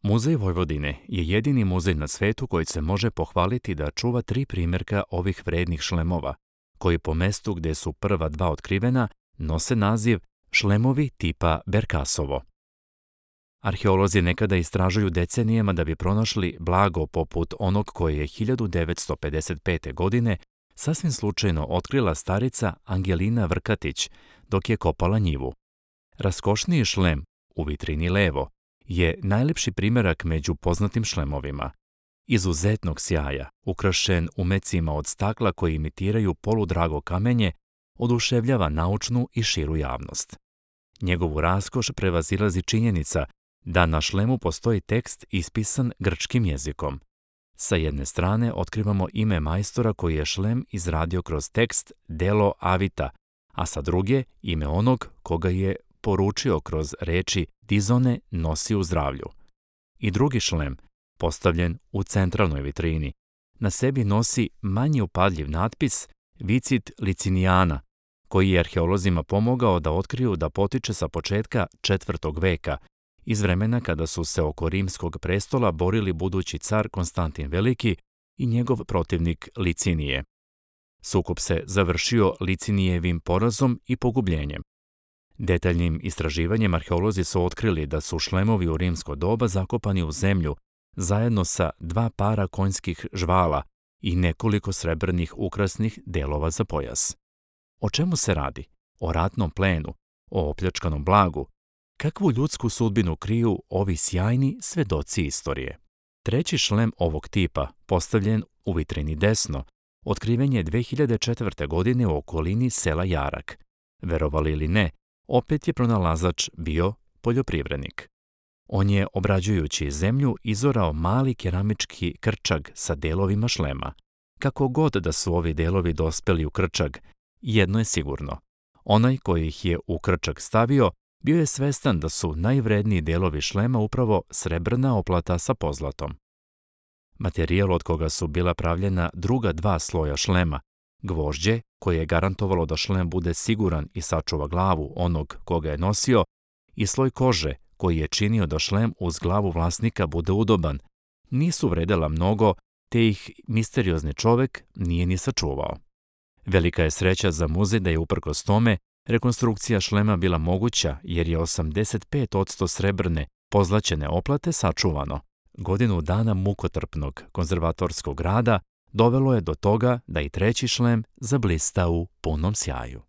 Muzej Vojvodine je jedini muzej na svetu koji se može pohvaliti da čuva 3 primjerka ovih vrednih šlemova, koji po mestu gdje su prva 2 otkrivena nose naziv šlemovi tipa Berkasovo. Arheolozi nekada istražuju decenijama da bi pronašli blago poput onog koje je 1955. godine sasvim slučajno otkrila starica Angelina Vrkatić dok je kopala njivu. Raskošniji šlem, u vitrini levo, je najljepši primjerak među poznatim šlemovima. Izuzetnog sjaja, ukrašen umecima od stakla koji imitiraju poludrago kamenje, oduševljava naučnu i širu javnost. Njegovu raskoš prevazilazi činjenica da na šlemu postoji tekst ispisan grčkim jezikom. Sa jedne strane otkrivamo ime majstora koji je šlem izradio kroz tekst Delo Avita, a sa druge ime onog koga je poručio kroz reči Dizone nosi u zdravlju. I drugi šlem, postavljen u centralnoj vitrini, na sebi nosi manje upadljiv natpis Vicit Licinijana, koji je arheolozima pomogao da otkriju da potiče sa početka 4. veka, iz vremena kada su se oko rimskog prestola borili budući car Konstantin Veliki i njegov protivnik Licinije. Sukob se završio Licinijevim porazom i pogubljenjem. Detaljnim istraživanjem arheolozi su otkrili da su šlemovi u rimsko doba zakopani u zemlju zajedno sa 2 para konjskih žvala i nekoliko srebrnih ukrasnih delova za pojas. O čemu se radi? O ratnom plenu, o opljačkanom blagu. Kakvu ljudsku sudbinu kriju ovi sjajni svedoci istorije? Treći šlem ovog tipa, postavljen u vitrini desno, otkriven je 2004. godine u okolini sela Jarak. Verovali ili ne, opet je pronalazač bio poljoprivrednik. On je, obrađujući zemlju, izorao mali keramički krčag sa delovima šlema. Kako god da su ovi delovi dospeli u krčag, jedno je sigurno. Onaj koji ih je u krčag stavio, bio je svestan da su najvredniji delovi šlema upravo srebrna oplata sa pozlatom. Materijal od koga su bila pravljena druga 2 sloja šlema, gvožđe, koje je garantovalo da šlem bude siguran i sačuva glavu onog koga je nosio, i sloj kože, koji je činio da šlem uz glavu vlasnika bude udoban, nisu vredela mnogo, te ih misteriozni čovek nije ni sačuvao. Velika je sreća za muzej da je uprkos tome rekonstrukcija šlema bila moguća jer je 85% srebrne pozlaćene oplate sačuvano. Godinu dana mukotrpnog konzervatorskog rada dovelo je do toga da i treći šlem zablista u punom sjaju.